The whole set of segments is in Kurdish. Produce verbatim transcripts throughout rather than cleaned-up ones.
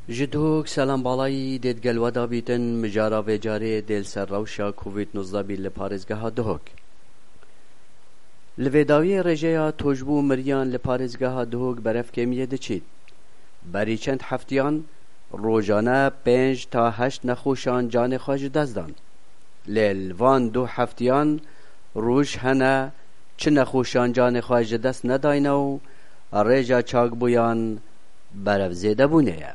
Ji Duhok selam balayî dê digel we de bîtin, mijara vê carê dê li ser rewşa Covid nozdeh bî li parêzgeha Duhok. Li vê dawiyê rêjeya toj bû miriyan li parêzgeha Duhok berev kêmiyê diçît. Berî çend heftiyan rojane pênc ta heşt nexweşan canê xwe ji dest dan. Lê li van du heftiyan roj hene çi nexweşan canê xwe ji dest nedayne û rêja çakbûyan berev zêdebûnê ye.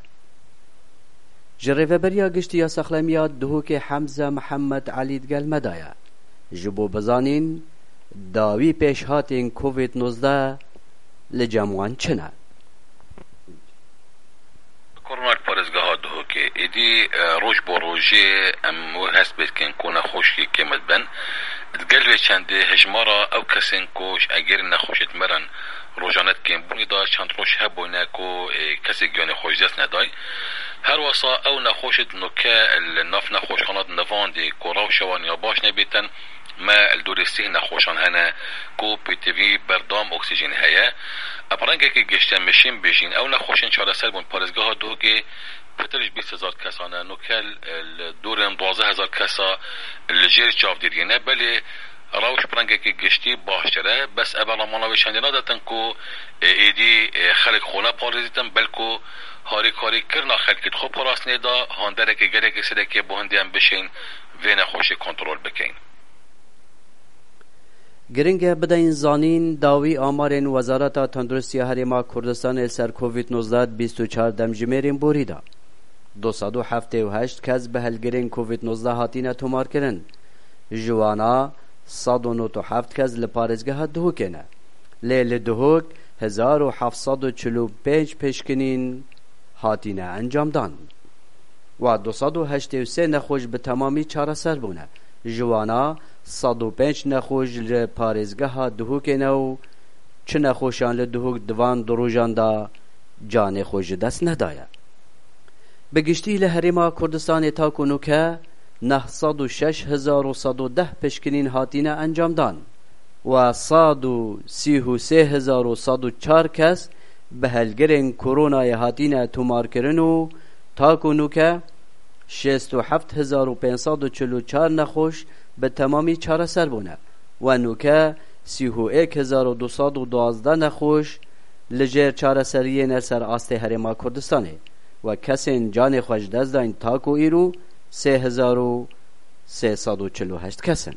Ji Rêveberiya Giştî ya Saxlemiya Duhokê Hemze Mihemed Elî digel me de ye. Ji bo bizanîn dawî pêşhatên Covid nozdeh li cem wan çi ne? Korona li parêzgeha Duhokê êdî, e, roj bo rojê em wê hest pê dikin ku nexweşiyê kêm dibin. Digel vê çendê hejmara ew kesên ku ji egerên nexweşê dimerin rojane dikên bûnê de çend roj hebûne ku, e, kesê giyanê xwe ji dest neday. Her wesa ew nexweşê di nuke li nav nexweşxana di nivandê ku rewşa wan ya baş nebêtin, me li dorê sih nexweşan hene ku pêtivî berdam oksîjên heye. Bi rengekî gişte meşîn bêjîn ew nexweşên çareser bûn parêzgeha Duhokê pitir ji bîst hezar kesan e. Nuke li dorên duwazdeh hezar kesa li jêr çavdêriyê ne. Belê rewş bi rengekî giştî baştir e. Bes ev lamana vê çendê nadetin ku, e, êdî, e, xelk xwe neparêzîtin, belku harîkarîkirina xelkê di xwe parastinê de handerekê gelekî sêrekê bo hindê em bişên vê nexweşê kontrol bikeyn. Giring e bideyên zanîn dawî amarên Wezareta Tenduristiya Herêma Kurdistanê li ser Covid nozdeh di bîst û çar demjimêrên borî de. Du sed û heftê û heşt kes bi helgirên Covid nozdeh hatine tomarkirin. Ji wana sed û nod û heft kes li parêzgeha Duhokê ne. Lê li Duhok hezar û heft sed û çil û pênc pişkinîn hatine encamdan. Wa du sed û heştê û sê nexweş bi temamî çareser bûne. Ji wana sed û pênc nexweş li parêzgeha Duhokê ne û çi nexweşan li Duhok di van du rojan de canê xwe ji dest nedaye. Bi giştî li Herêma Kurdistanê ta ku nûke neh sed û şeş hezar û sed û deh pişkinîn hatine encamdan. Wa sed û sî û sê hezar û sed û çar kes bi helgirên koronayê hatine tomarkirin û ta ku nûke şêst û heft hezar û pênc sed û çil û çar nexweş bi temamî çareser bûne. We nûke sî û êk hezar û du sed û duwazdeh nexweş li jêr çareseriyê ne ser astê Herêma Kurdistanê. We kesên canê xwe ji dest dayîn ta ku îro sê hezar û sê sed û çil û heşt kes in.